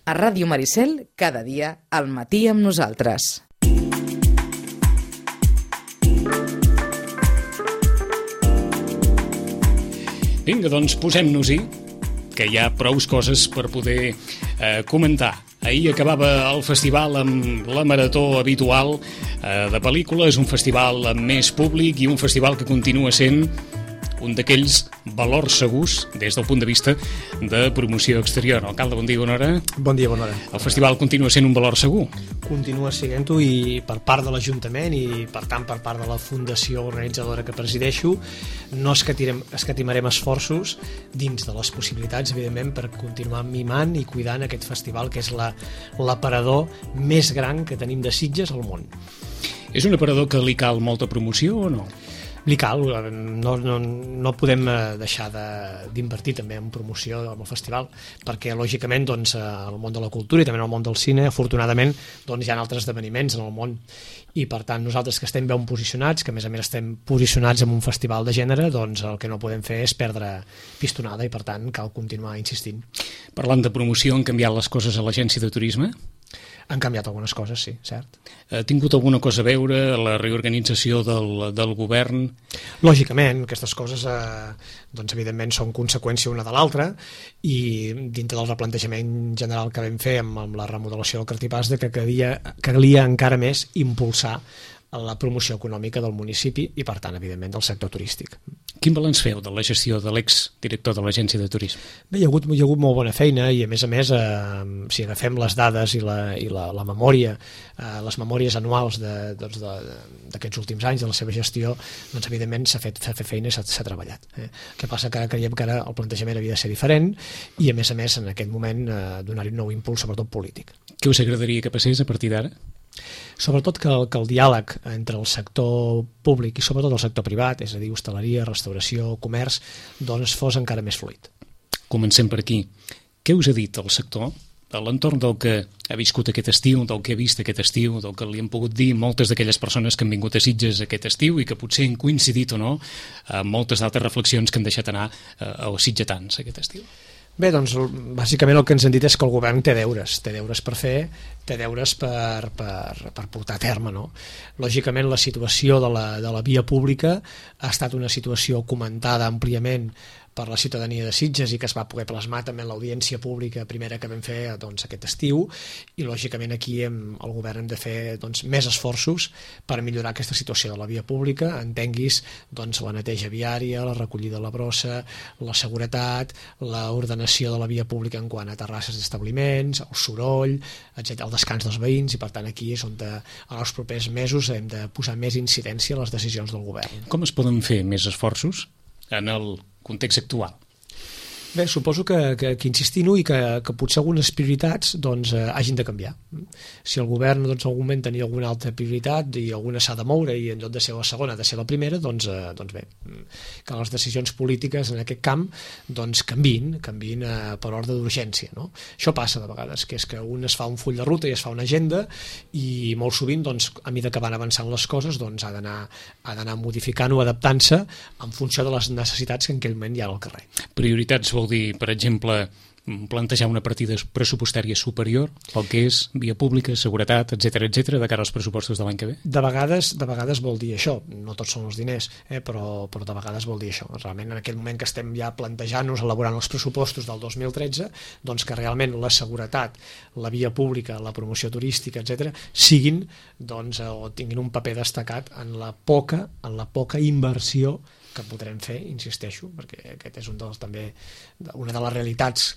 A Ràdio Maricel, cada dia al matí amb nosaltres. Vinga, doncs posem-nos-hi, que hi ha prous coses per poder comentar. Ahir acabava el festival amb la marató habitual de pel·lícules, un festival amb més públic i un festival que continua sent un d'aquells valors segurs des del punt de vista de promoció exterior. Alcalde, bon dia, bona hora. Bon dia, bona hora. El festival continua sent un valor segur? Continua sent-ho, i per part de l'Ajuntament i per tant per part de la fundació organitzadora que presideixo no escatimarem esforços dins de les possibilitats, evidentment, per continuar mimant i cuidant aquest festival que és l'aparador més gran que tenim de Sitges al món. És un aparador que li cal molta promoció o no? Li cal, no podem deixar d'invertir també en promoció amb el festival, perquè lògicament doncs, al món de la cultura i també al món del cine, afortunadament doncs, hi ha altres esdeveniments en el món, i per tant nosaltres que estem ben posicionats, que a més estem posicionats en un festival de gènere, doncs el que no podem fer és perdre pistonada i per tant cal continuar insistint. Parlant de promoció, han canviat les coses a l'agència de turisme? Han canviat algunes coses, sí, cert. Ha tingut alguna cosa a veure la reorganització del govern? Lògicament, aquestes coses doncs, evidentment són conseqüència una de l'altra, i dintre del replantejament general que vam fer amb la remodelació del Cartipàs de que calia encara més impulsar la promoció econòmica del municipi i, per tant, evidentment, del sector turístic. Quin balanç feu de la gestió de l'exdirector de l'Agència de Turisme? Bé, hi ha hagut molt bona feina i, a més, si agafem les dades i la memòria, les memòries anuals d'aquests últims anys de la seva gestió, doncs, evidentment, s'ha fet feina i s'ha treballat. El que passa que ara creiem que ara el plantejament havia de ser diferent i, a més, en aquest moment, donar-hi un nou impuls, sobretot polític. Què us agradaria que passés a partir d'ara? Sobretot que el diàleg entre el sector públic i sobretot el sector privat, és a dir, hostaleria, restauració, comerç, doncs fos encara més fluid. Comencem per aquí. Què us ha dit el sector a l'entorn del que ha viscut aquest estiu, del que ha vist aquest estiu, del que li han pogut dir moltes d'aquelles persones que han vingut a Sitges aquest estiu i que potser han coincidit o no amb moltes d'altres reflexions que han deixat anar als sitgetans aquest estiu? Bé, doncs, bàsicament el que ens han dit és que el govern té deures per fer, té deures per portar a terme, no? Lògicament, la situació de la via pública ha estat una situació comentada àmpliament per la ciutadania de Sitges i que es va poder plasmar també en l'audiència pública primera que vam fer doncs, aquest estiu, i lògicament aquí el govern hem de fer doncs, més esforços per millorar aquesta situació de la via pública, entenguis doncs, la neteja viària, la recollida de la brossa, la seguretat, l'ordenació de la via pública en quant a terrasses d'establiments, el soroll, etc., el descans dels veïns, i per tant aquí és on en els propers mesos hem de posar més incidència a les decisions del govern. Com es poden fer més esforços en el context actual? Bé, suposo que insistir-ho i que potser algunes prioritats doncs, hagin de canviar. Si el govern doncs, en algun moment tenia alguna altra prioritat i alguna s'ha de moure i en lloc de ser la segona ha de ser la primera, doncs bé, que les decisions polítiques en aquest camp doncs, canviïn per ordre d'urgència. No? Això passa de vegades, que és que un es fa un full de ruta i es fa una agenda i molt sovint, doncs, a mesura que van avançant les coses, doncs, ha d'anar modificant o adaptant-se en funció de les necessitats que en aquell moment hi ha al carrer. Prioritats vol dir, per exemple, plantejar una partida pressupostària superior pel que és via pública, seguretat, etc de cara als pressupostos de l'any que ve? De vegades vol dir això, no tots són els diners, però de vegades vol dir això. Realment en aquest moment que estem ja plantejant-nos, elaborant els pressupostos del 2013, doncs que realment la seguretat, la via pública, la promoció turística, etc, siguin doncs, o tinguin un paper destacat en la poca inversió que podrem fer, insisteixo, perquè aquest és també una de les realitats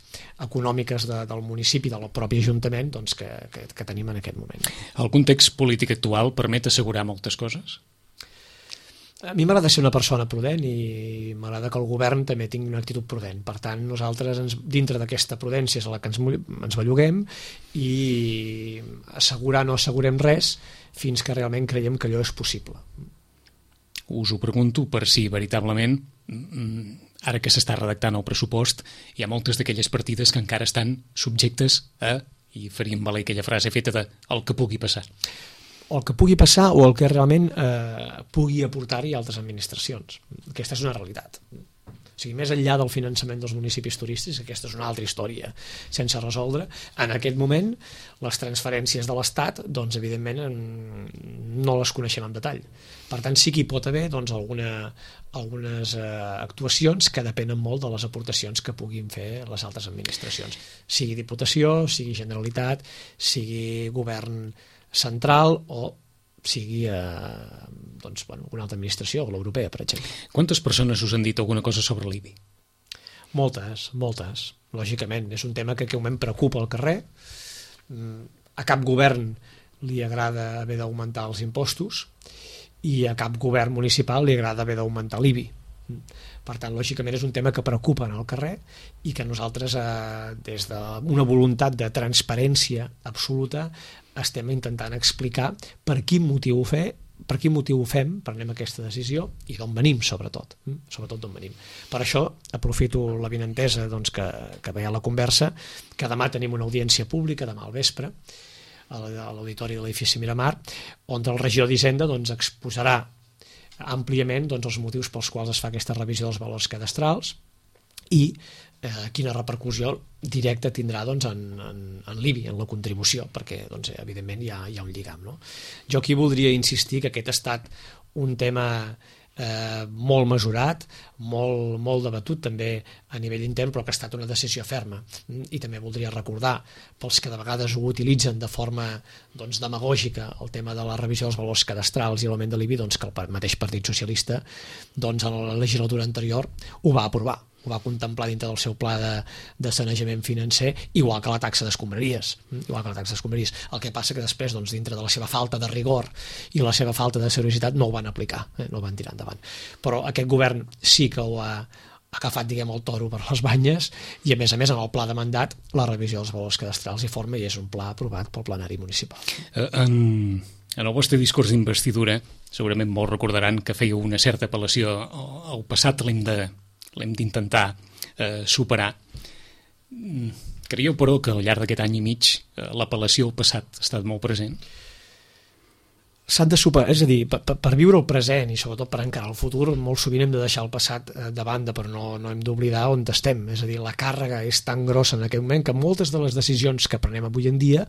econòmiques del municipi, del propi Ajuntament, doncs, que tenim en aquest moment. El context polític actual permet assegurar moltes coses? A mi m'agrada ser una persona prudent i m'agrada que el govern també tingui una actitud prudent. Per tant, nosaltres, dintre d'aquesta prudència és a la que ens belluguem, i assegurar no assegurem res fins que realment creiem que allò és possible. Us ho pregunto per si veritablement, ara que s'està redactant el pressupost, hi ha moltes d'aquelles partides que encara estan subjectes a, i faríem valer aquella frase feta de el que pugui passar. O el que pugui passar o el que realment pugui aportar-hi altres administracions. Aquesta és una realitat. O sigui, més enllà del finançament dels municipis turístics, aquesta és una altra història sense resoldre, en aquest moment les transferències de l'Estat, doncs evidentment no les coneixem en detall. Per tant, sí que hi pot haver doncs, algunes actuacions que depenen molt de les aportacions que puguin fer les altres administracions, sigui Diputació, sigui Generalitat, sigui Govern central o sigui doncs, una altra administració, l'europea, per exemple. Quantes persones us han dit alguna cosa sobre l'IBI? Moltes. Lògicament, és un tema que en aquest moment preocupa al carrer. A cap govern li agrada haver d'augmentar els impostos i a cap govern municipal li agrada haver d'augmentar l'IBI. Per tant, lògicament és un tema que preocupa en el carrer i que nosaltres, des d'una voluntat de transparència absoluta, estem intentant explicar per quin motiu ho fem, prenem aquesta decisió i d'on venim, sobretot d'on venim. Per això aprofito l'avinentesa doncs, que veia la conversa, que demà tenim una audiència pública, demà al vespre, a l'auditori de l'edifici Miramar, on el regidor d'Hisenda doncs, exposarà àmpliament doncs, els motius pels quals es fa aquesta revisió dels valors cadastrals i quina repercussió directa tindrà doncs, en l'IBI, en la contribució, perquè doncs, evidentment hi ha un lligam. No? Jo aquí voldria insistir que aquest ha estat un tema molt mesurat, molt debatut també a nivell intern, però que ha estat una decisió ferma. I també voldria recordar, pels que de vegades ho utilitzen de forma doncs, demagògica, el tema de la revisió dels valors cadastrals i l'augment de l'IBI, doncs, que el mateix Partit Socialista doncs, a la legislatura anterior ho va aprovar, ho va contemplar dintre del seu pla de sanejament financer, igual que la taxa d'escombraries. El que passa que després, doncs, dintre de la seva falta de rigor i la seva falta de seriositat, no ho van aplicar, no ho van tirar endavant. Però aquest govern sí que ho ha agafat, diguem, el toro per les banyes i, a més, en el pla de mandat, la revisió dels valors cadastrals hi forma i és un pla aprovat pel plenari municipal. En el vostre discurs d'investidura, segurament molts recordaran que fèieu una certa apel·lació al passat, l'hem d'intentar superar. Creieu, però, que al llarg d'aquest any i mig l'apel·lació al passat ha estat molt present? S'han de superar, és a dir, per viure el present i sobretot per encarar el futur, molt sovint hem de deixar el passat de banda, però no hem d'oblidar on estem. És a dir, la càrrega és tan grossa en aquest moment que moltes de les decisions que prenem avui en dia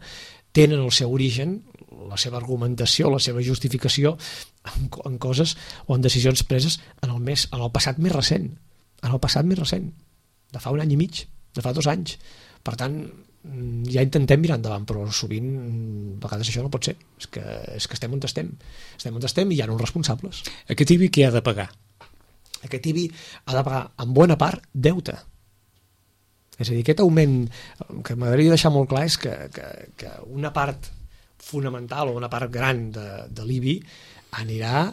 tenen el seu origen, la seva argumentació, la seva justificació en coses o en decisions preses en el passat més recent. De fa un any i mig, de fa 2 anys. Per tant, ja intentem mirar endavant, però sovint a vegades això no pot ser. És que estem on estem. Estem on estem i hi ha uns responsables. Aquest IBI què ha de pagar? Aquest IBI ha de pagar, en bona part, deute. És a dir, aquest augment, que m'agradaria deixar molt clar, és que una part fonamental o una part gran de l'IBI anirà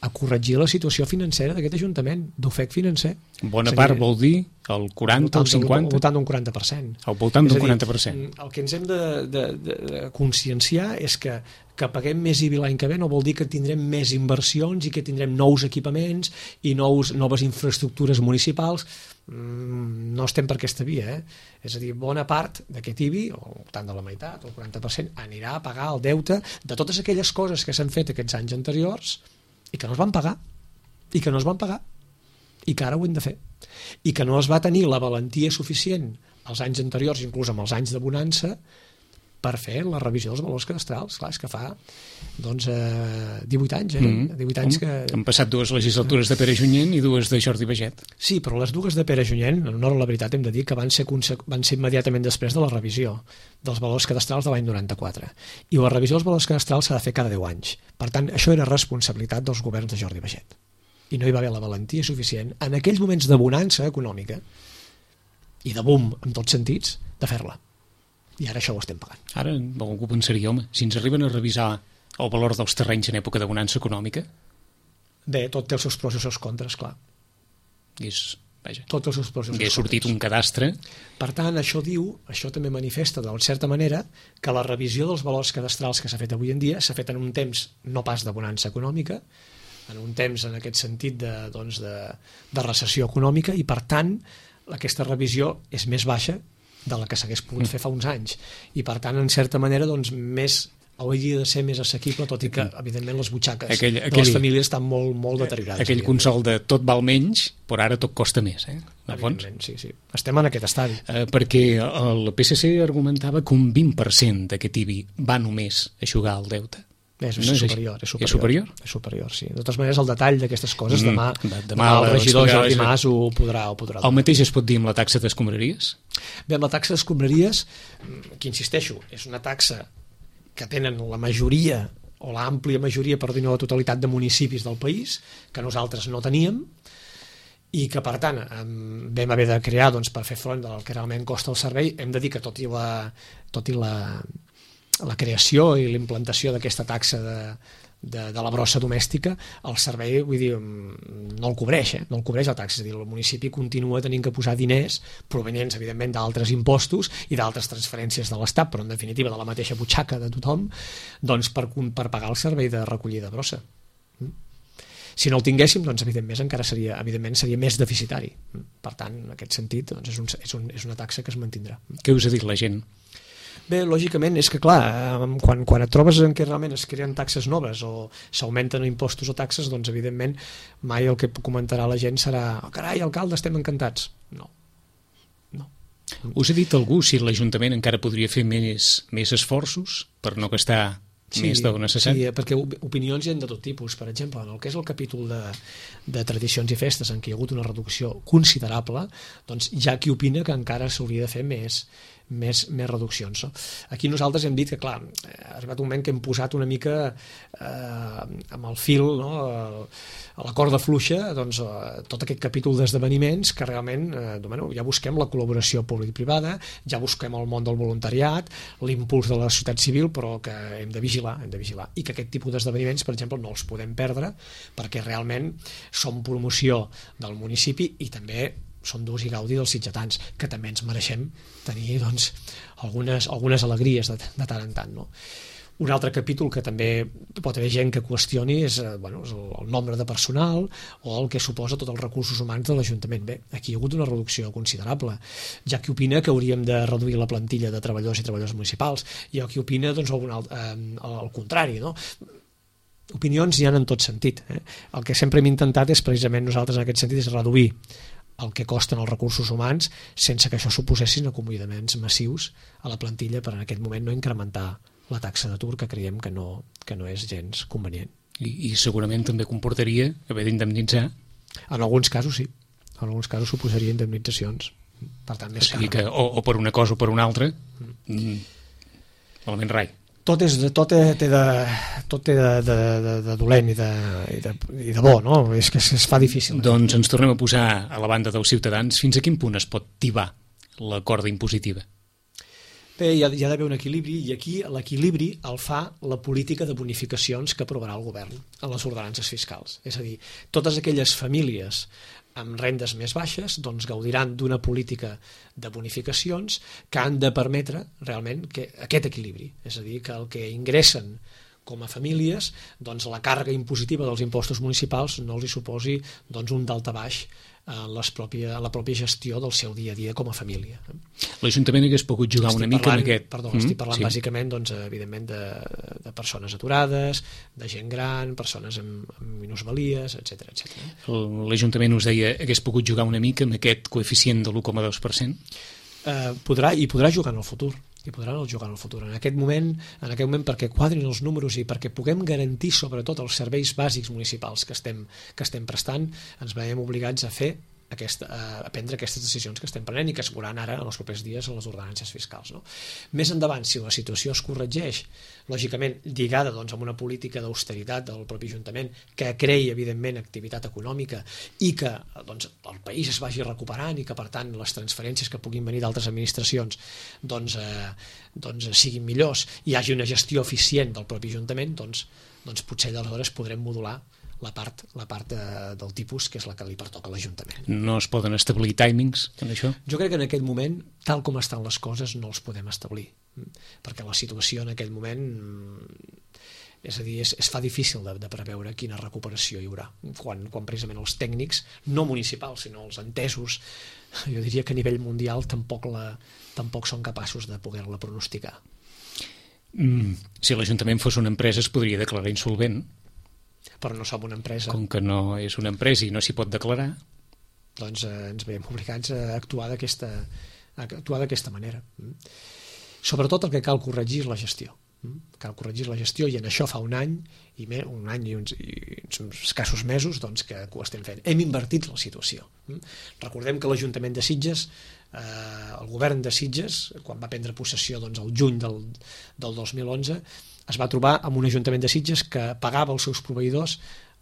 a corregir la situació financera d'aquest Ajuntament, d'ofec financer. Bona part vol dir el 40 o el 50? Al voltant d'un 40%. Al voltant d'un 40%. El que ens hem de conscienciar és que paguem més IBI l'any que ve no vol dir que tindrem més inversions i que tindrem nous equipaments i noves infraestructures municipals. No estem per aquesta via. És a dir, bona part d'aquest IBI, o tant de la meitat, el 40%, anirà a pagar el deute de totes aquelles coses que s'han fet aquests anys anteriors i que no es van pagar, i que ara ho hem de fer, i que no es va tenir la valentia suficient als anys anteriors, inclús amb els anys de bonança, per fer la revisió dels valors cadastrals. Clar, és que fa 18 anys, 18 anys que... Han passat 2 legislatures de Pere Junyent i 2 de Jordi Baget. Sí, però les 2 de Pere Junyent, en honor a la veritat, hem de dir que van ser immediatament després de la revisió dels valors cadastrals de l'any 94. I la revisió dels valors cadastrals s'ha de fer cada 10 anys. Per tant, això era responsabilitat dels governs de Jordi Baget. I no hi va haver la valentia suficient en aquells moments de bonança econòmica i de boom, en tots sentits, de fer-la. I ara això ho estem pagant. Ara algú pensaria, home, si ens arriben a revisar el valor dels terrenys en època de bonança econòmica... Bé, tot té els seus pros i els seus contres, clar. Tots els seus pros i els seus contres. Ha sortit un cadastre. Per tant, això també manifesta, de certa manera, que la revisió dels valors cadastrals que s'ha fet avui en dia s'ha fet en un temps no pas de bonança econòmica, en un temps en aquest sentit de recessió econòmica, i per tant aquesta revisió és més baixa de la que s'hagués pogut fer fa uns anys, i per tant en certa manera més hauria de ser més assequible, tot i que, evidentment, les butxaques de les famílies estan molt, molt deteriorades. Aquell consol de tot val menys, però ara tot costa més, Evidentment, sí. Estem en aquest estadi. Perquè el PSC argumentava que un 20% d'aquest IBI va només a eixugar el deute. És superior, sí. De totes maneres, el detall d'aquestes coses, demà el regidor Jordi Mas ho podrà dir. El mateix es pot dir amb la taxa d'escombraries? Bé, amb la taxa d'escombraries, que insisteixo, és una taxa que tenen la majoria o l'àmplia majoria, per dir-ho, la totalitat de municipis del país, que nosaltres no teníem, i que, per tant, vam haver de crear per fer front del que realment costa el servei. Hem de dir que tot i la creació i l'implantació d'aquesta taxa de la brossa domèstica, el servei, vull dir, no el cobreix, no el cobreix la taxa. És a dir, el municipi continua tenint que posar diners provenients, evidentment, d'altres impostos i d'altres transferències de l'Estat, però en definitiva de la mateixa butxaca de tothom, doncs per pagar el servei de recollida de brossa. Si no el tinguéssim, doncs evidentment seria més deficitari. Per tant, en aquest sentit, doncs és una taxa que es mantindrà. Què us ha dit la gent? Bé, lògicament, és que clar, quan et trobes en què realment es creen taxes noves o s'augmenten impostos o taxes, doncs evidentment mai el que comentarà la gent serà carai, alcalde, estem encantats. No. Us ha dit algú si l'Ajuntament encara podria fer més esforços per no gastar més del necessari? Sí, perquè opinions hi ha de tot tipus. Per exemple, en el que és el capítol de tradicions i festes, en què hi ha hagut una reducció considerable, doncs hi ha qui opina que encara s'hauria de fer més reduccions. Aquí nosaltres hem dit que, clar, ha arribat un moment que hem posat una mica amb el fil, a la corda fluixa, doncs, tot aquest capítol d'esdeveniments que realment ja busquem la col·laboració públic-privada, ja busquem el món del voluntariat, l'impuls de la societat civil, però que hem de vigilar, i que aquest tipus d'esdeveniments, per exemple, no els podem perdre, perquè realment són promoció del municipi i també són d'ús i gaudi dels sitgetans, que també ens mereixem tenir algunes alegries de tant en tant. Un altre capítol que també pot haver gent que qüestioni és el nombre de personal o el que suposa tots els recursos humans de l'Ajuntament. Bé, aquí hi ha hagut una reducció considerable. Hi ha qui opina que hauríem de reduir la plantilla de treballadors i treballadores municipals. Hi ha qui opina el contrari, Opinions hi ha en tot sentit. El que sempre hem intentat és, precisament nosaltres en aquest sentit, és reduir el que costen els recursos humans sense que això suposessin acomiadaments massius a la plantilla per en aquest moment no incrementar la taxa d'atur, que creiem que no és gens convenient. I segurament també comportaria haver d'indemnitzar? En alguns casos sí. En alguns casos suposaria indemnitzacions. Per tant, més car. Que o per una cosa o per una altra, malament rai. Tot té de dolent i de bo, no? És que es fa difícil. Doncs ens tornem a posar a la banda dels ciutadans. Fins a quin punt es pot tibar la corda impositiva? Bé, hi ha d'haver un equilibri, i aquí l'equilibri el fa la política de bonificacions que aprovarà el govern en les ordenances fiscals. És a dir, totes aquelles famílies amb rendes més baixes doncs gaudiran d'una política de bonificacions que han de permetre realment aquest equilibri, és a dir, que el que ingressen com a famílies, doncs la càrrega impositiva dels impostos municipals no els hi suposi un daltabaix en la pròpia gestió del seu dia a dia com a família. L'Ajuntament hagués pogut jugar una mica amb aquest... Estic parlant bàsicament, evidentment, de persones aturades, de gent gran, persones amb minusvalies, etc. L'Ajuntament us deia hagués pogut jugar una mica amb aquest coeficient de l'1,2%? Podrà jugar en el futur. En aquest moment perquè quadrin els números i perquè puguem garantir sobretot els serveis bàsics municipals que estem prestant, ens veiem obligats a prendre aquestes decisions que estem prenent i que es veuran ara en els propers dies en les ordenances fiscals. Més endavant, si la situació es corregeix, lògicament lligada amb una política d'austeritat del propi Ajuntament que creï evidentment activitat econòmica i que el país es vagi recuperant i que per tant les transferències que puguin venir d'altres administracions siguin millors i hi hagi una gestió eficient del propi Ajuntament, doncs potser aleshores podrem modular la part del tipus que és la que li pertoca a l'Ajuntament. No es poden establir timings en això? Jo crec que en aquest moment, tal com estan les coses, no els podem establir, perquè la situació en aquell moment és a dir, es fa difícil de preveure quina recuperació hi haurà, quan precisament els tècnics, no municipals, sinó els entesos, jo diria que a nivell mundial tampoc són capaços de poder-la pronosticar. Si l'Ajuntament fos una empresa es podria declarar insolvent. Però no som una empresa. Com que no és una empresa i no s'hi pot declarar, doncs ens veiem obligats a actuar d'aquesta manera. Sobretot el que cal corregir és la gestió. Cal corregir la gestió, i en això fa un any i uns escassos mesos doncs, que ho estem fent. Hem invertit la situació. Recordem que l'Ajuntament de Sitges, el govern de Sitges, quan va prendre possessió doncs, el juny del 2011, es va trobar amb un Ajuntament de Sitges que pagava els seus proveïdors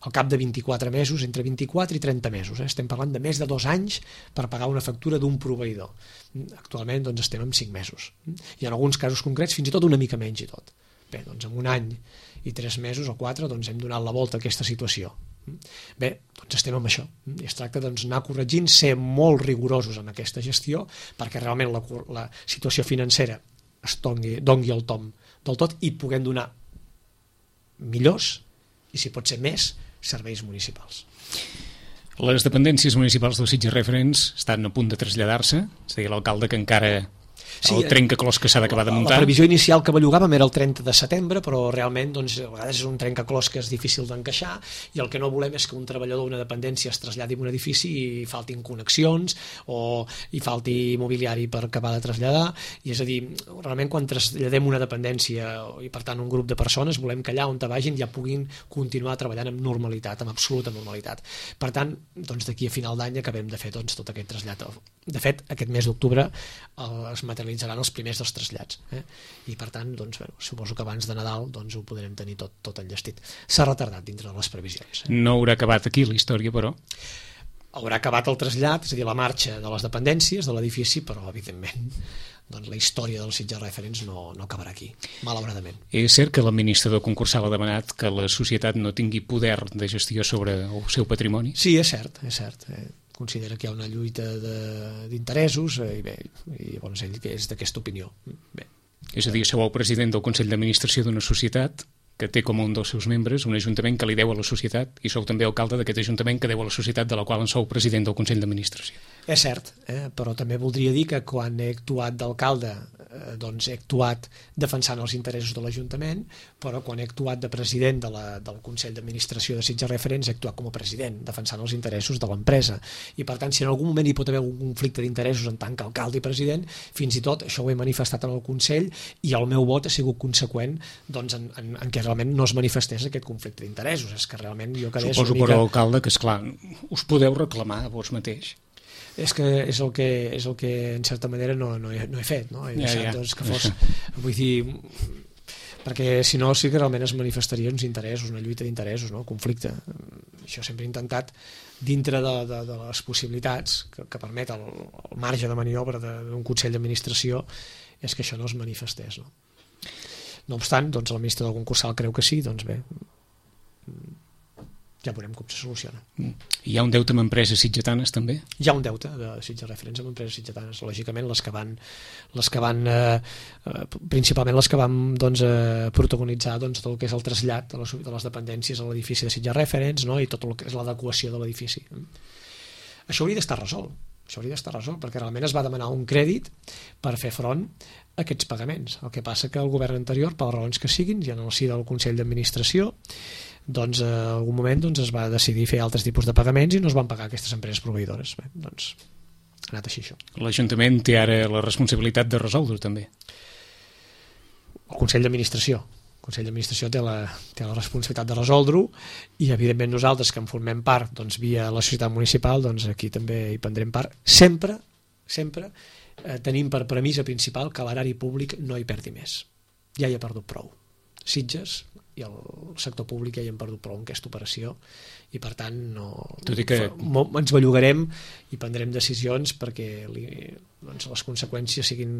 al cap de 24 mesos, entre 24 i 30 mesos. Estem parlant de més de 2 anys per pagar una factura d'un proveïdor. Actualment doncs, estem en 5 mesos. I en alguns casos concrets fins i tot una mica menys i tot. Bé, doncs en un any i 3 mesos o 4 doncs, hem donat la volta a aquesta situació. Bé, doncs estem amb això. I es tracta d'anar corregint, ser molt rigorosos en aquesta gestió perquè realment la situació financera es dongui el tom del tot i puguem donar millors i, si pot ser més, serveis municipals. Les dependències municipals del Sitges Referents estan a punt de traslladar-se, és a dir, l'alcalde que encara... el trencaclòs que s'ha d'acabar de muntar. La previsió inicial que bellugàvem era el 30 de setembre, però realment doncs, a vegades és un trencaclòs que és difícil d'encaixar i el que no volem és que un treballador d'una dependència es traslladi a un edifici i faltin connexions o hi falti mobiliari per acabar de traslladar, i és a dir, realment quan traslladem una dependència i per tant un grup de persones volem que allà on vagin ja puguin continuar treballant amb normalitat, amb absoluta normalitat. Per tant, doncs, d'aquí a final d'any acabem de fer doncs, tot aquest trasllat. De fet, aquest mes d'octubre es materialitzaran els primers dels trasllats. I per tant, doncs, suposo que abans de Nadal doncs, ho podrem tenir tot enllestit. S'ha retardat dintre de les previsions. No haurà acabat aquí la història, però? Haurà acabat el trasllat, és a dir, la marxa de les dependències de l'edifici, però evidentment doncs, la història dels Sitges Referents no acabarà aquí, malauradament. És cert que l'administrador concursal ha demanat que la societat no tingui poder de gestió sobre el seu patrimoni? Sí, és cert, és cert. Considera que hi ha una lluita d'interessos i bé, i llavors ell que és d'aquesta opinió. Bé. És a dir, sou el president del Consell d'Administració d'una societat que té com un dels seus membres un ajuntament que li deu a la societat i sou també alcalde d'aquest ajuntament que deu a la societat de la qual en sou president del Consell d'Administració. És cert, però també voldria dir que quan he actuat d'alcalde doncs he actuat defensant els interessos de l'Ajuntament, però quan he actuat de president del Consell d'Administració de Sitges Referents he actuat com a president, defensant els interessos de l'empresa. I per tant, si en algun moment hi pot haver un conflicte d'interessos en tant que alcalde i president, fins i tot això ho he manifestat en el Consell i el meu vot ha sigut conseqüent doncs, en què realment no es manifestés aquest conflicte d'interessos. És que realment jo quedés Suposo, una mica... però, alcalde, que esclar, us podeu reclamar a vos mateix. És el que en certa manera no he fet, no? He deixat doncs, que fos, vull dir, perquè si no sí que realment es manifestaria uns interessos, una lluita d'interessos, no? Conflicte. Això sempre he intentat dintre de les possibilitats que permet el marge de maniobra d'un Consell d'Administració és que això no es manifestés, no? No obstant, doncs l'administrador concursal creu que sí, doncs bé, ja veurem com se soluciona. Hi ha un deute amb empreses sitgetanes també? Hi ha un deute de Sitges Referents amb empreses sitgetanes, lògicament les que van principalment les que van doncs, protagonitzar doncs, tot el que és el trasllat de les dependències a l'edifici de Sitges Referents, no? I tot el que és l'adequació de l'edifici. Això hauria d'estar resolt. Perquè realment es va demanar un crèdit per fer front a aquests pagaments. El que passa que el govern anterior, per les raons que siguin, i en el si del Consell d'Administració, doncs en algun moment doncs, es va decidir fer altres tipus de pagaments i no es van pagar aquestes empreses proveïdores. Bé, doncs ha anat així això. L'Ajuntament té ara la responsabilitat de resoldre també. El Consell d'Administració té la responsabilitat de resoldre-ho i evidentment nosaltres que en formem part doncs, via la societat municipal doncs, aquí també hi prendrem part sempre tenim per premissa principal que l'erari públic no hi perdi més. Ja hi ha perdut prou. Sitges i el sector públic ja hi han perdut prou en aquesta operació i per tant ens bellugarem i prendrem decisions perquè doncs, les conseqüències siguin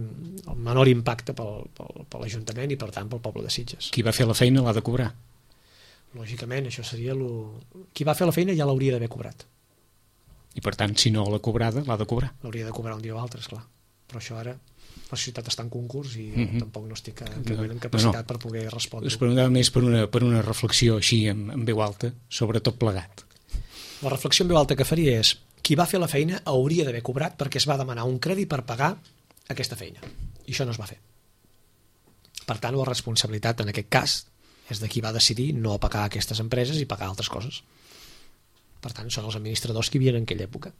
el menor impacte per l'Ajuntament i per tant pel poble de Sitges. Qui va fer la feina l'ha de cobrar? Lògicament, això seria qui va fer la feina ja l'hauria d'haver cobrat. I per tant, si no l'ha cobrada, l'ha de cobrar? L'hauria de cobrar un dia o altre, esclar. Però això ara la societat està en concurs i tampoc no estic en capacitat per poder respondre. Es preguntava més per una reflexió així en veu alta sobre tot plegat. La reflexió en veu alta que faria és qui va fer la feina hauria d'haver cobrat perquè es va demanar un crèdit per pagar aquesta feina i això no es va fer. Per tant, la responsabilitat en aquest cas és de qui va decidir no pagar aquestes empreses i pagar altres coses. Per tant, són els administradors que hi havia en aquella època.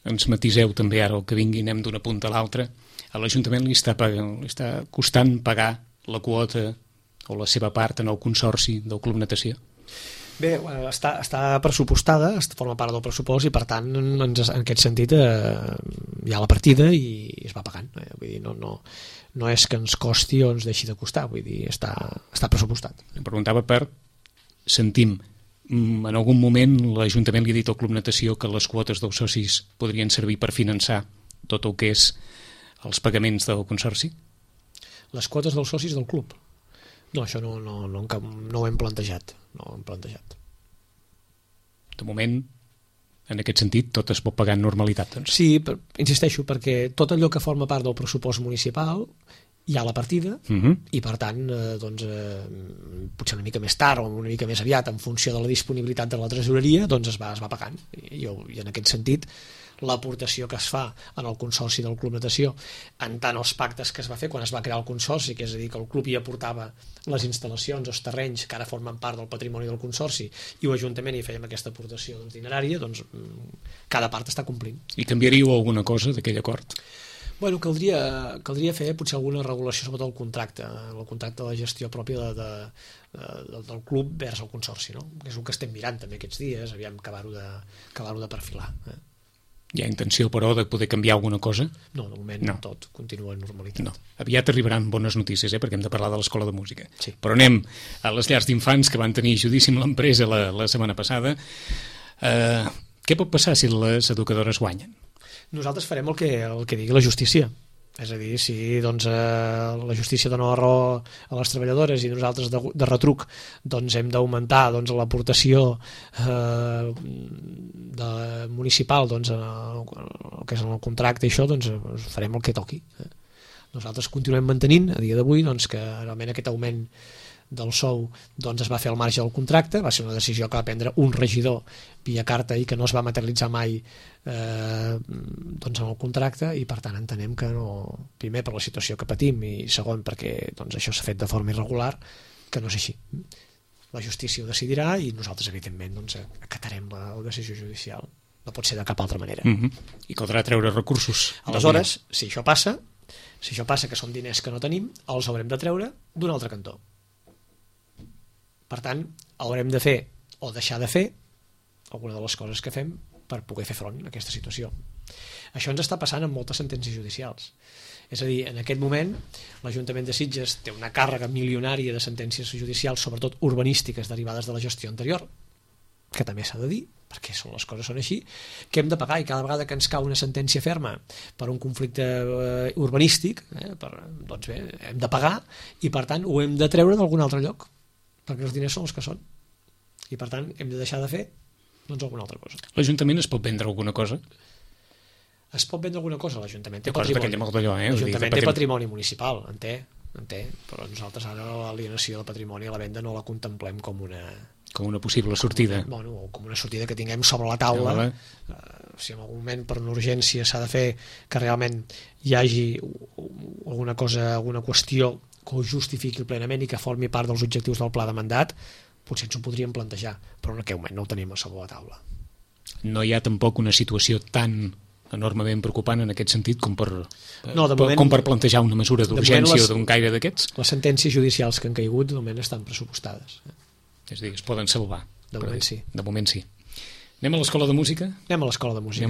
Ens matiseu també ara el que vingui, anem d'una punta a l'altra. A l'Ajuntament li està costant pagar la quota o la seva part en el consorci del Club Natació? Bé, està pressupostada, forma part del pressupost i per tant en aquest sentit hi ha la partida i es va pagant. Vull dir, no és que ens costi o ens deixi de costar, vull dir, està pressupostat. Em preguntava sentim, en algun moment l'Ajuntament li ha dit al Club Natació que les quotes dels socis podrien servir per finançar tot el que és els pagaments del consorci? Les quotes dels socis del club? No, això no ho hem plantejat. No ho hem plantejat. De moment, en aquest sentit, tot es pot pagar en normalitat, doncs. Sí, insisteixo, perquè tot allò que forma part del pressupost municipal hi ha la partida i per tant potser una mica més tard o una mica més aviat en funció de la disponibilitat de la tresoreria doncs es va pagant i en aquest sentit l'aportació que es fa en el consorci del Club Natació en tant els pactes que es va fer quan es va crear el consorci, que és a dir que el club hi aportava les instal·lacions, els terrenys que ara formen part del patrimoni del consorci i l'Ajuntament hi fèiem aquesta aportació dinerària, doncs cada part està complint. I canviaríeu alguna cosa d'aquell acord? Bueno, caldria fer potser alguna regulació sobre el contracte de la gestió pròpia del club vers el consorci, no? Que és el que estem mirant també aquests dies, aviam acabar-ho de perfilar. Hi ha intenció, però, de poder canviar alguna cosa? No, de moment no. Tot continua en normalitat. No. Aviat arribaran bones notícies, perquè hem de parlar de l'Escola de Música. Sí. Però anem a les llars d'infants que van tenir judici amb l'empresa la setmana passada. Què pot passar si les educadores guanyen? Nosaltres farem el que digui la justícia. És a dir, si la justícia dona la raó a les treballadores i nosaltres de retruc hem d'augmentar l'aportació municipal el que és en el contracte i això, farem el que toqui. Nosaltres continuem mantenint a dia d'avui que realment aquest augment del sou es va fer al marge del contracte, va ser una decisió que va prendre un regidor via carta i que no es va materialitzar mai en el contracte i per tant entenem que no, primer per la situació que patim i segon perquè això s'ha fet de forma irregular, que no és així. La justícia ho decidirà i nosaltres evidentment acatarem la decisió judicial, no pot ser de cap altra manera. I caldrà treure recursos. Aleshores, si això passa que són diners que no tenim, els haurem de treure d'un altre cantó. Per tant, haurem de fer o deixar de fer alguna de les coses que fem per poder fer front a aquesta situació. Això ens està passant amb moltes sentències judicials. És a dir, en aquest moment l'Ajuntament de Sitges té una càrrega milionària de sentències judicials, sobretot urbanístiques derivades de la gestió anterior, que també s'ha de dir, perquè les coses són així, que hem de pagar i cada vegada que ens cau una sentència ferma per un conflicte urbanístic, doncs bé, hem de pagar i per tant ho hem de treure d'algun altre lloc, perquè els diners són els que són i per tant hem de deixar de fer alguna altra cosa. L'Ajuntament es pot vendre alguna cosa? Es pot vendre alguna cosa, l'Ajuntament té patrimoni. L'Ajuntament té patrimoni municipal, en té, però nosaltres ara l'alienació del patrimoni a la venda no la contemplem com una possible sortida. O com una sortida que tinguem sobre la taula. Si en algun moment per una urgència s'ha de fer que realment hi hagi alguna cosa, alguna qüestió que ho justifiqui plenament i que formi part dels objectius del pla de mandat, potser ens ho podríem plantejar, però en aquest moment no ho tenim a sobre la taula. No hi ha tampoc una situació tan enormement preocupant en aquest sentit com per plantejar una mesura d'urgència o d'un caire d'aquests? Les sentències judicials que han caigut de moment estan pressupostades. És a dir, es poden salvar. De moment sí. De moment sí. Anem a l'Escola de Música? Anem a l'Escola de Música.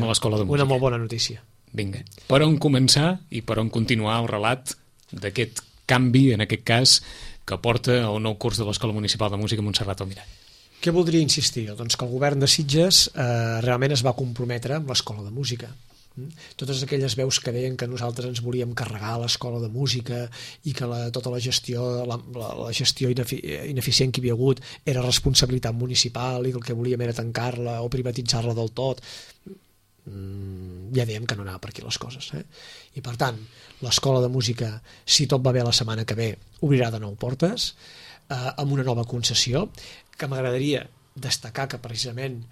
Una molt bona notícia. Vinga. Per on començar i per on continuar el relat d'aquest canvi, en aquest cas, que porta el nou curs de l'Escola Municipal de Música Montserrat Almirall? Què voldria insistir? Doncs que el govern de Sitges realment es va comprometre amb l'Escola de Música. Totes aquelles veus que deien que nosaltres ens volíem carregar l'Escola de Música i que tota la gestió ineficient que hi havia hagut era responsabilitat municipal i que el que volíem era tancar-la o privatitzar-la del tot, ja dèiem que no anava per aquí les coses. I per tant, l'Escola de Música, si tot va bé la setmana que ve, obrirà de nou portes amb una nova concessió, que m'agradaria destacar que precisament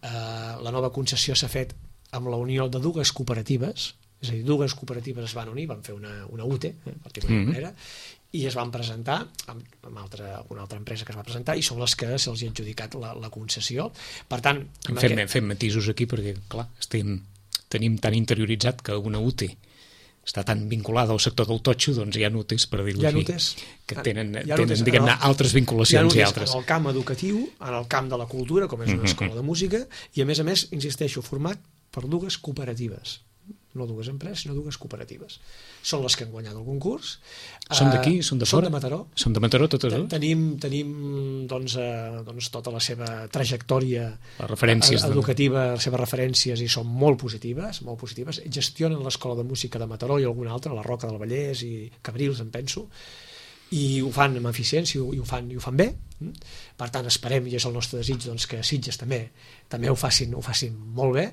la nova concessió s'ha fet amb la unió de dues cooperatives, és a dir, dues cooperatives es van unir, van fer una UTE, per dir-ho d'alguna manera, i es van presentar amb alguna altra empresa que es va presentar, i són les que se'ls ha adjudicat la concessió. Per tant, fem matisos aquí perquè, clar, tenim tan interioritzat que una UTE està tan vinculada al sector del totxo, doncs hi ha UTEs, per dir-ho així, que tenen diguem-ne, altres vinculacions i altres. En el camp educatiu, en el camp de la cultura, com és una escola de música, i a més, insisteixo, format per dues cooperatives. No dues empreses, sinó dues cooperatives. Són les que han guanyat el concurs. Són d'aquí? Són de fora? Són de Mataró. Són de Mataró, totes dues? Tenim doncs, tota la seva trajectòria educativa, les seves referències, i són molt positives, molt positives. Gestionen l'Escola de Música de Mataró i alguna altra, la Roca del Vallès i Cabrils, em penso, i ho fan amb eficiència i ho fan bé. Per tant, esperem, i és el nostre desig, doncs, que Sitges també ho facin molt bé.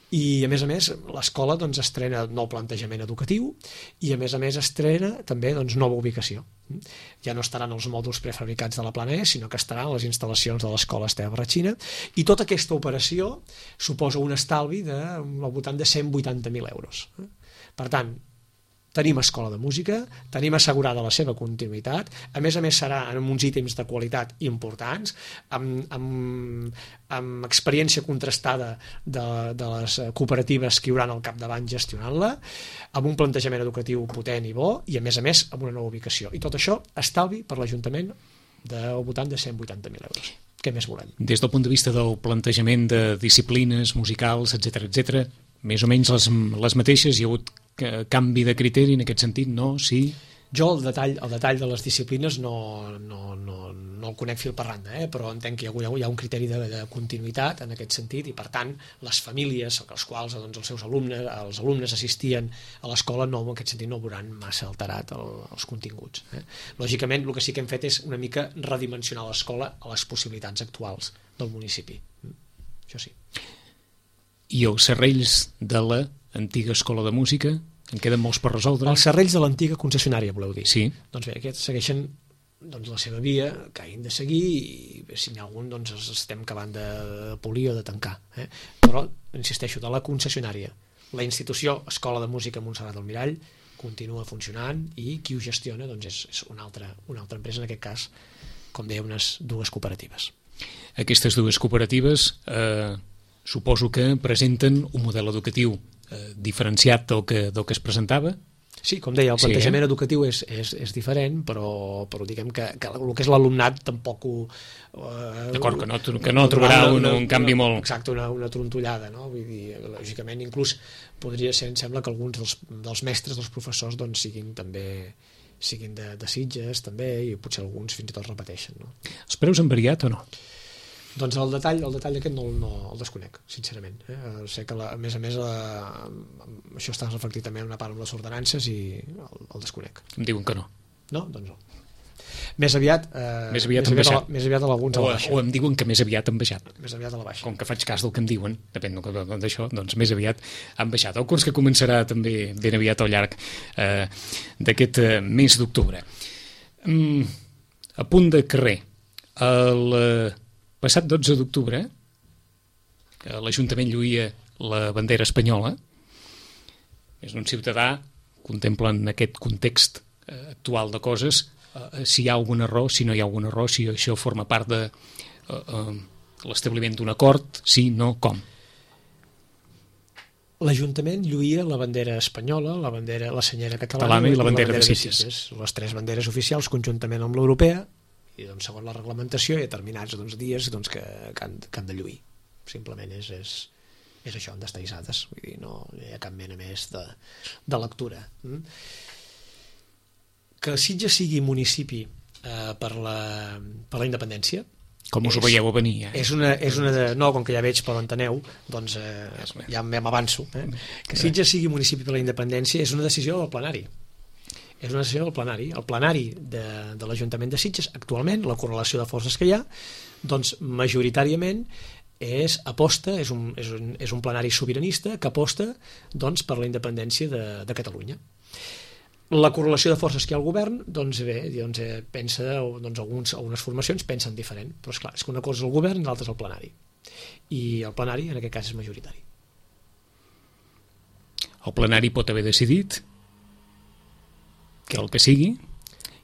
I a més l'escola doncs, estrena nou plantejament educatiu i a més estrena també doncs, nova ubicació. Ja no estaran els mòduls prefabricats de la Plana E, sinó que estaran les instal·lacions de l'escola Esteve Barratxina, i tota aquesta operació suposa un estalvi al voltant de 180.000 euros. Per tant, tenim escola de música, tenim assegurada la seva continuïtat, a més serà en uns ítems de qualitat importants, amb experiència contrastada de les cooperatives que hi haurà al capdavant gestionant-la, amb un plantejament educatiu potent i bo, i a més amb una nova ubicació. I tot això estalvi per l'Ajuntament del voltant de 180.000 euros. Què més volem? Des del punt de vista del plantejament de disciplines musicals, etc., més o menys les mateixes, hi ha hagut canvi de criteri en aquest sentit, no? Sí? Jo el detall de les disciplines no el conec fil per randa, però entenc que hi ha un criteri de continuïtat en aquest sentit, i per tant les famílies als quals doncs, els alumnes assistien a l'escola en aquest sentit no veuran massa alterat els continguts. Lògicament el que sí que hem fet és una mica redimensionar l'escola a les possibilitats actuals del municipi. Això sí. I els serrells de l'antiga escola de música, en queden molts per resoldre? Els serrells de l'antiga concessionària, voleu dir? Sí. Doncs bé, aquests segueixen la seva via, que hagin de seguir, i si n'hi ha algun doncs els estem acabant de polir o de tancar. Però, insisteixo, de la concessionària. La institució Escola de Música Montserrat del Mirall continua funcionant, i qui ho gestiona doncs és una altra empresa, en aquest cas, com deia, unes dues cooperatives. Aquestes dues cooperatives suposo que presenten un model educatiu diferenciat del que es presentava? Sí, com deia, el plantejament educatiu és diferent, però diguem que el que és l'alumnat tampoc ho... D'acord, que no trobarà un canvi molt... Exacte, una trontollada, no? Vull dir, lògicament, inclús podria ser, em sembla, que alguns dels mestres, dels professors, doncs siguin de Sitges, també, i potser alguns fins i tot repeteixen, no? Els preus han variat o no? Doncs el detall aquest no el desconec, sincerament. Sé que, a més, això està reflectit també en una part amb les ordenances, i el desconec. Em diuen que no. No? Doncs no. Més aviat a alguns a la baixa. O em diuen que més aviat han baixat. Més aviat a la baixa. Com que faig cas del que em diuen, depèn d'això, doncs més aviat han baixat. El curs que començarà també ben aviat al llarg d'aquest mes d'octubre. A punt de carrer, el passat 12 d'octubre, l'Ajuntament lluïa la bandera espanyola. És un ciutadà, contempla en aquest context actual de coses, si hi ha algun error, si no hi ha algun error, si això forma part de l'establiment d'un acord, sí, no, com? L'Ajuntament lluïa la bandera espanyola, la senyera catalana i la bandera de Sitges. Les tres banderes oficials conjuntament amb l'europea, i doncs, segons la reglamentació hi ha determinats dies que han de lluir. Simplement és això, han d'estar hissades, vull dir, no hi ha cap mena més de lectura. Que Sitges sigui municipi per la independència, com us ho veieu a venir? No, com que ja veig, però enteneu, doncs ja m'avanço. Que Sitges sigui municipi per la independència és una decisió del plenari. És una decisió del plenari. El plenari de l'Ajuntament de Sitges, actualment, la correlació de forces que hi ha, doncs majoritàriament és un plenari sobiranista que aposta doncs, per la independència de Catalunya. La correlació de forces que hi ha al govern, doncs bé, pensa, algunes formacions pensen diferent, però esclar, és que una cosa és el govern i l'altra és el plenari. I el plenari, en aquest cas, és majoritari. El plenari pot haver decidit que el que sigui,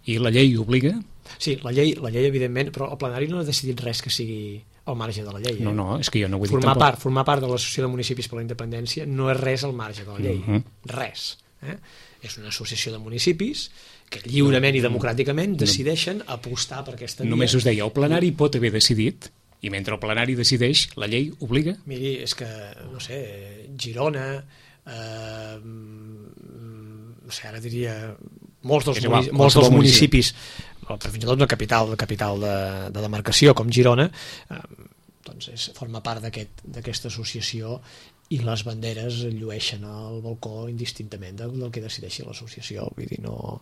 I la llei obliga? Sí, la llei evidentment, però el plenari no ha decidit res que sigui al marge de la llei. No, és que jo no ho he dit tampoc. Formar part de l'Associació de Municipis per la Independència no és res al marge de la llei. Res. És una associació de municipis que lliurement i democràticament decideixen apostar per aquesta via. Només us deia, el plenari pot haver decidit, i mentre el plenari decideix, la llei obliga? Miri, és que, no sé, Girona, no sé, ara diria molts dels municipis, fins i tot una capital de demarcació com Girona, doncs forma part d'aquesta associació, i les banderes llueixen al balcó indistintament del que decideixi l'associació. Vull dir, no...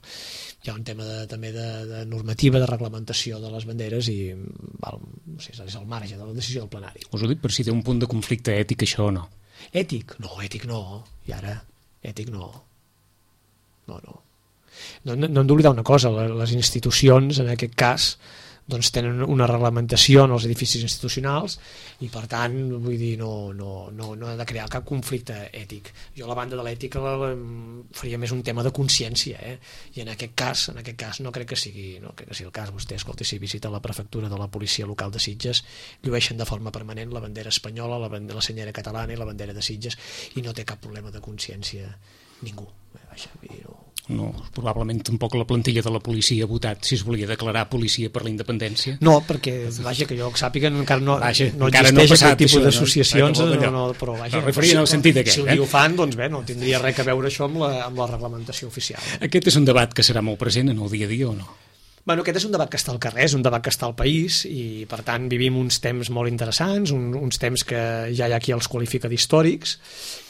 Hi ha un tema també de normativa, de reglamentació de les banderes i no sé, és al marge de la decisió del plenari. Us ho dic per si té un punt de conflicte ètic això o no. Ètic? No, ètic no. I ara, ètic no. No hem d'oblidar una cosa, les institucions, en aquest cas, doncs tenen una reglamentació en els edificis institucionals i per tant vull dir no ha de crear cap conflicte ètic. Jo a la banda de l'ètica faria més un tema de consciència, i en aquest cas no crec que sigui el cas. Vostè, escolti, si visita la prefectura de la policia local de Sitges, llueixen de forma permanent la bandera espanyola, la senyera catalana i la bandera de Sitges i no té cap problema de consciència ningú. No, probablement tampoc la plantilla de la policia ha votat si es volia declarar policia per la independència. No, perquè, vaja, que jo sàpiga encara no existeix aquest tipus d'associacions, però vaja, referia en el sentit aquest. Si ho fan, doncs bé, no tindria res a veure això amb la reglamentació oficial. Aquest és un debat que serà molt present en el dia a dia o no? Bueno, aquest és un debat que està al carrer, és un debat que està al país i, per tant, vivim uns temps molt interessants, uns temps que ja hi ha qui els qualifica d'històrics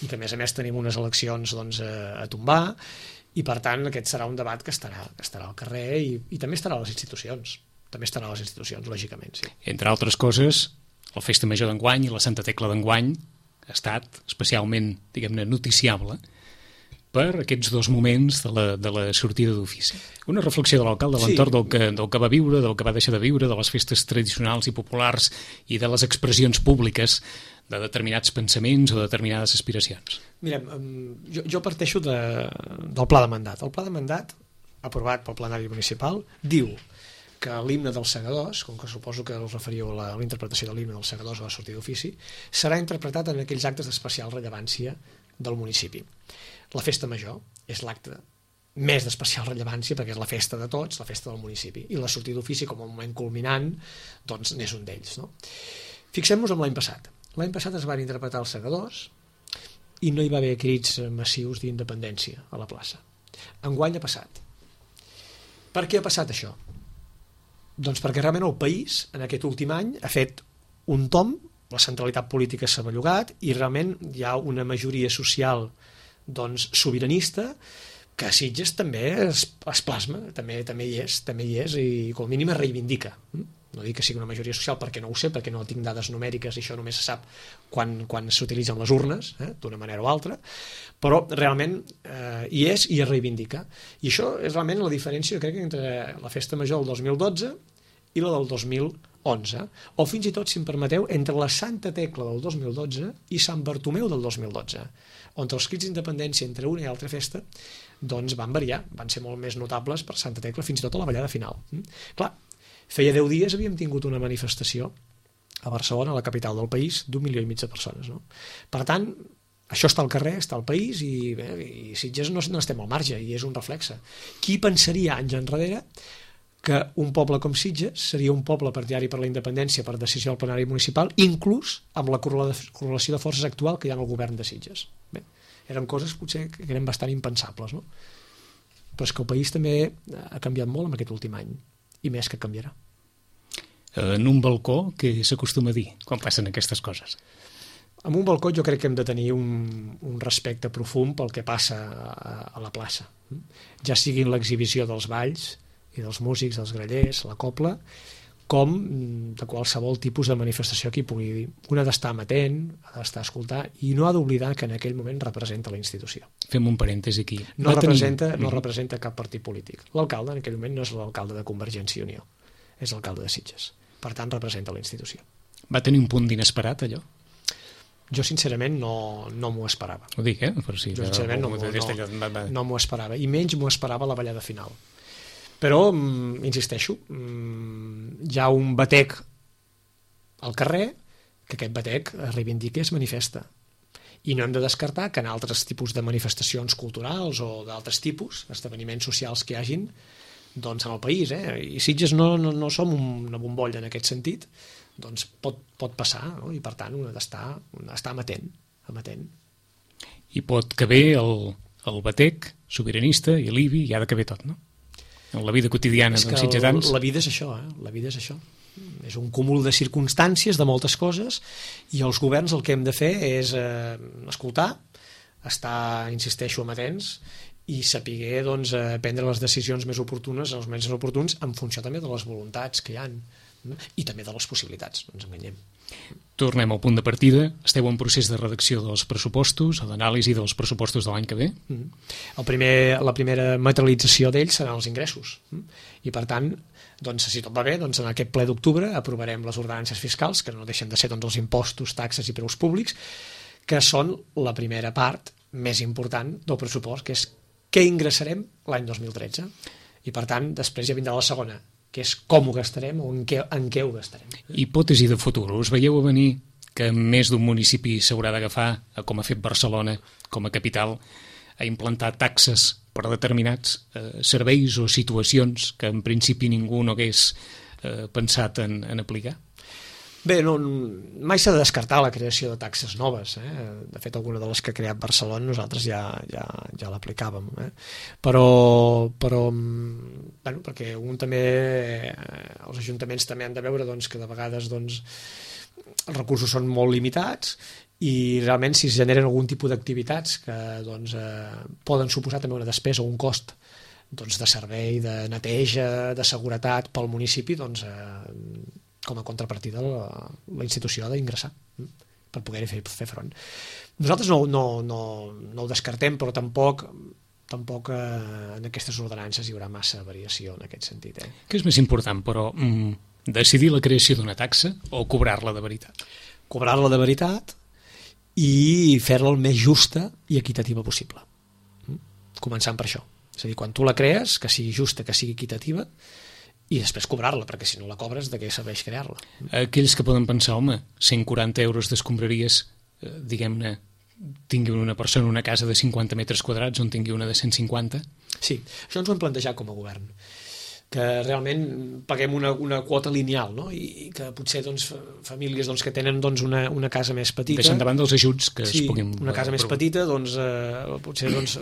i que, a més tenim unes eleccions a tombar i, per tant, aquest serà un debat que estarà al carrer i també estarà a les institucions. També estarà a les institucions, lògicament, sí. Entre altres coses, la Festa Major d'enguany i la Santa Tecla d'enguany ha estat especialment, diguem-ne, noticiable per aquests dos moments de la sortida d'ofici. Una reflexió de l'alcalde a l'entorn del que va viure, del que va deixar de viure, de les festes tradicionals i populars i de les expressions públiques de determinats pensaments o de determinades aspiracions. Mirem, jo parteixo del pla de mandat. El pla de mandat, aprovat pel plenari municipal, diu que l'himne dels segadors, com que suposo que us referíeu a la interpretació de l'himne dels segadors a la sortida d'ofici, serà interpretat en aquells actes d'especial rellevància del municipi. La festa major és l'acte més d'especial rellevància perquè és la festa de tots, la festa del municipi, i la sortida d'ofici com a moment culminant doncs n'és un d'ells, no? Fixem-nos en l'any passat. L'any passat es van interpretar els segadors i no hi va haver crits massius d'independència a la plaça. Enguany ha passat. Per què ha passat això? Doncs perquè realment el país en aquest últim any ha fet un tomb, la centralitat política s'ha bellugat i realment hi ha una majoria social sobiranista que a Sitges també es plasma, també hi és i com a mínim es reivindica. No dic que sigui una majoria social perquè no ho sé, perquè no tinc dades numèriques i això només se sap quan s'utilitzen les urnes, d'una manera o altra, però realment hi és i es reivindica. I això és realment la diferència, crec, entre la festa major del 2012 i la del 2011, o fins i tot, si em permeteu, entre la Santa Tecla del 2012 i Sant Bartomeu del 2012, on els crits d'independència entre una i altra festa doncs van variar, van ser molt més notables per Santa Tecla, fins i tot a la ballada final. Clar, feia 10 dies havíem tingut una manifestació a Barcelona, la capital del país, d'1,5 milió de persones. No? Per tant, això està al carrer, està al país i Sitges no estem al marge i és un reflexe. Qui pensaria anys enrere que un poble com Sitges seria un poble partidari per la independència per decisió del plenari municipal, inclús amb la correlació de forces actual que hi ha en el govern de Sitges. Bé, eren coses potser que eren bastant impensables, no? Però és que el país també ha canviat molt en aquest últim any, i més que canviarà. En un balcó, què s'acostuma a dir quan passen aquestes coses? En un balcó jo crec que hem de tenir un respecte profund pel que passa a la plaça. Ja sigui l'exhibició dels balls i dels músics, dels grallers, la cobla, com de qualsevol tipus de manifestació que hi pugui dir. Un ha d'estar amatent, ha d'estar a escoltar, i no ha d'oblidar que en aquell moment representa la institució. Fem un parèntesi aquí. No representa cap partit polític. L'alcalde en aquell moment no és l'alcalde de Convergència i Unió, és l'alcalde de Sitges. Per tant, representa la institució. Va tenir un punt d'inesperat, allò? Jo, sincerament, no m'ho esperava. Ho dic, per si... Jo, sincerament, no m'ho esperava. I menys m'ho esperava a la ballada final. Però, insisteixo, hi ha un batec al carrer que aquest batec es reivindica i es manifesta. I no hem de descartar que en altres tipus de manifestacions culturals o d'altres tipus, esdeveniments socials que hi hagin, doncs en el país, i Sitges no som una bombolla en aquest sentit, doncs pot passar, no? I per tant un ha d'estar amatent. I pot caber el batec sobiranista i l'IBI, i ha de caber tot, no? En la vida quotidiana dels sitgetans. La vida és això, la vida és això. És un cúmul de circumstàncies, de moltes coses, i els governs el que hem de fer és escoltar, estar, insisteixo, amatents, i saber doncs, prendre les decisions més oportunes en els moments oportuns en funció també de les voluntats que hi ha i també de les possibilitats, no ens enganyem. Tornem al punt de partida. Esteu en procés de redacció dels pressupostos, d'anàlisi dels pressupostos de l'any que ve? La primera materialització d'ells seran els ingressos. I per tant, doncs, si tot va bé, doncs, en aquest ple d'octubre aprovarem les ordenances fiscals, que no deixen de ser doncs, els impostos, taxes i preus públics, que són la primera part més important del pressupost, que és què ingressarem l'any 2013. I per tant, després ja vindrà la segona, que és com ho gastarem o en què ho gastarem. Hipòtesi de futur. Us veieu a venir que més d'un municipi s'haurà d'agafar, com ha fet Barcelona, com a capital, a implantar taxes per determinats serveis o situacions que en principi ningú no hagués pensat en aplicar? Bé, mai s'ha de descartar la creació de taxes noves. De fet, alguna de les que ha creat Barcelona nosaltres ja l'aplicàvem. Però bueno, perquè els ajuntaments també han de veure doncs, que de vegades doncs, els recursos són molt limitats i realment si es generen algun tipus d'activitats que doncs, poden suposar també una despesa o un cost doncs, de servei, de neteja, de seguretat pel municipi, doncs com a contrapartida la institució ha d'ingressar per poder-hi fer front. Nosaltres no ho descartem, però tampoc en aquestes ordenances hi haurà massa variació en aquest sentit. Què és més important, però, decidir la creació d'una taxa o cobrar-la de veritat? Cobrar-la de veritat i fer-la el més justa i equitativa possible. Començant per això. És a dir, quan tu la crees, que sigui justa, que sigui equitativa, i després cobrar-la, perquè si no la cobres, de què serveix crear-la? Aquells que poden pensar, home, 140 euros d'escombraries, diguem-ne, tingui una persona una casa de 50 metres quadrats on tingui una de 150? Sí, això ens ho hem plantejat com a govern, que realment paguem una quota lineal, no? I que potser doncs, famílies doncs, que tenen doncs, una casa més petita... Deixant davant dels ajuts que es puguin... una casa més petita, doncs, potser doncs,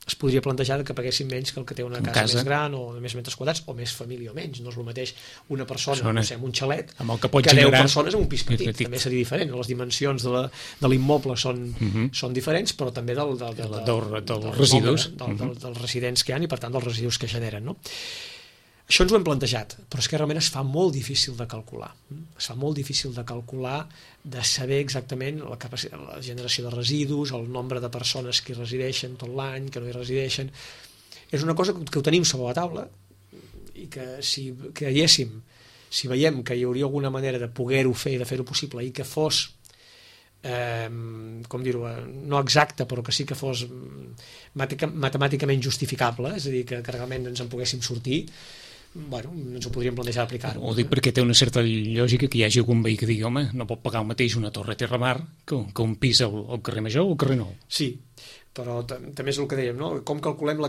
es podria plantejar que paguessin menys que el que té una casa més gran o de més metres quadrats o més família o menys. No és el mateix una persona no sé, amb un xalet amb que 10 persones en un pis petit. També seria diferent. Les dimensions de l'immoble són diferents, però també dels residus. Dels residents que hi ha i per tant dels residus que generen. No? Això ens ho hem plantejat, però és que realment es fa molt difícil de calcular. Es fa molt difícil de calcular, de saber exactament la generació de residus, el nombre de persones que hi resideixen tot l'any, que no hi resideixen. És una cosa que ho tenim sobre la taula i que si veiem que hi hauria alguna manera de poder-ho fer i de fer-ho possible i que fos com dir-ho, no exacte però que sí que fos matemàticament justificable, és a dir, que realment ens en poguéssim sortir, bueno, ens ho podríem plantejar aplicar-ho. Ho dic perquè té una certa lògica que hi hagi algun veí que digui, home, no pot pagar el mateix una torre a Terramar que un pis al carrer Major o al carrer Nou. Sí, però també és el que dèiem, no? Com calculem la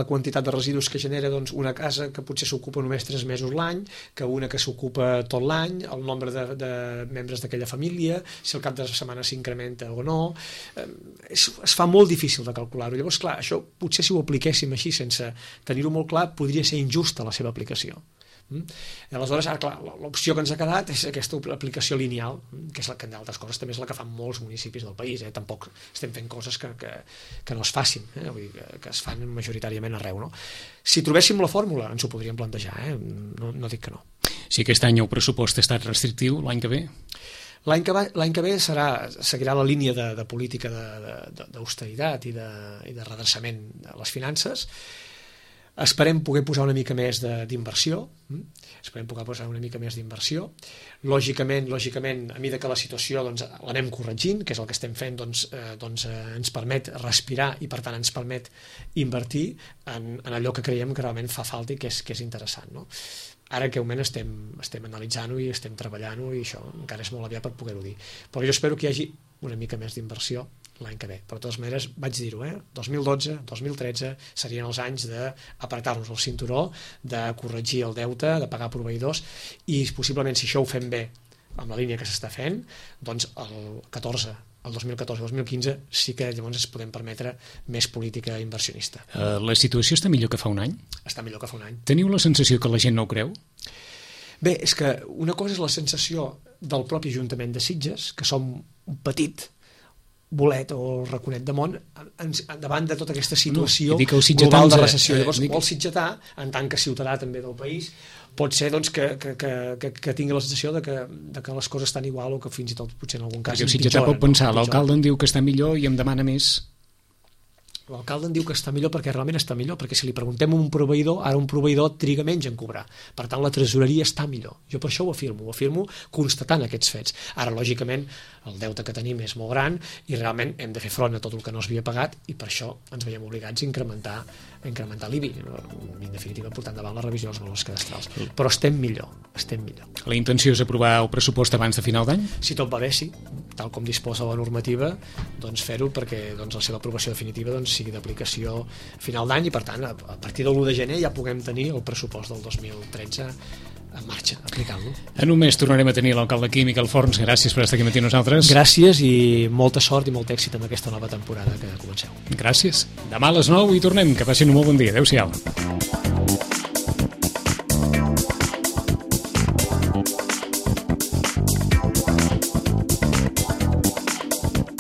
quantitat de residus que genera doncs, una casa que potser s'ocupa només 3 mesos l'any, que una que s'ocupa tot l'any, el nombre de membres d'aquella família, si el cap de setmana s'incrementa o no, es fa molt difícil de calcular-ho. Llavors, clar, això potser si ho apliquéssim així sense tenir-ho molt clar, podria ser injusta la seva aplicació. Aleshores, ara, clar, l'opció que ens ha quedat és aquesta aplicació lineal, que és la que, d'altres coses, també és la que fan molts municipis del país. Tampoc estem fent coses que no es facin, vull dir, que es fan majoritàriament arreu. No? Si trobéssim la fórmula, ens ho podríem plantejar, no dic que no. Si aquest any el pressupost ha estat restrictiu, l'any que ve? L'any que ve seguirà la línia de política d'austeritat i de redreçament de les finances. Esperem poder posar una mica més d'inversió, Lògicament, a mesura que la situació l'anem corregint, que és el que estem fent, ens permet respirar i per tant ens permet invertir en allò que creiem que realment fa falta i que és interessant, no? Ara que moment estem analitzant-ho i estem treballant-ho i això encara és molt aviat per poder-ho dir, però jo espero que hi hagi una mica més d'inversió l'any que ve. Però de totes maneres vaig dir-ho, 2012, 2013 serien els anys d'apretar-nos el cinturó, de corregir el deute, de pagar proveïdors, i possiblement si això ho fem bé amb la línia que s'està fent, doncs el 2014-2015 sí que llavors ens podem permetre més política inversionista. La situació està millor que fa un any? Està millor que fa un any. Teniu la sensació que la gent no ho creu? Bé, és que una cosa és la sensació del propi Ajuntament de Sitges, que som un petit bolet o raconet de món davant de tota aquesta situació global de recessió. Llavors, el sitgetà, en tant que ciutadà també del país, pot ser que tingui la sensació de que les coses estan igual o que fins i tot potser en algun cas el sitgetà pot pensar, l'alcalde em diu que està millor i em demana més. L'alcalde en diu que està millor perquè realment està millor, perquè si li preguntem a un proveïdor, ara un proveïdor triga menys en cobrar. Per tant, la tresoreria està millor. Jo per això ho afirmo constatant aquests fets. Ara, lògicament, el deute que tenim és molt gran i realment hem de fer front a tot el que no s'havia pagat i per això ens veiem obligats a incrementar l'IBI, en definitiva portant davant la revisió dels valors cadastrals. Però estem millor. La intenció és aprovar el pressupost abans de final d'any? Si tot va bé, sí. Tal com disposa la normativa, doncs fer-ho perquè la seva aprovació definitiva sigui d'aplicació a final d'any i per tant a partir de l'1 de gener ja puguem tenir el pressupost del 2013 en marxa, aplicant-lo. En un mes tornarem a tenir l'alcalde aquí, Miquel Forns. Gràcies per estar aquí amb nosaltres. Gràcies i molta sort i molt èxit amb aquesta nova temporada que comenceu. Gràcies. Demà a les 9 hi tornem. Que passin un molt bon dia. Adéu-siau.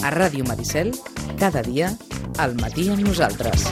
A Ràdio Maricel, cada dia, al matí amb nosaltres.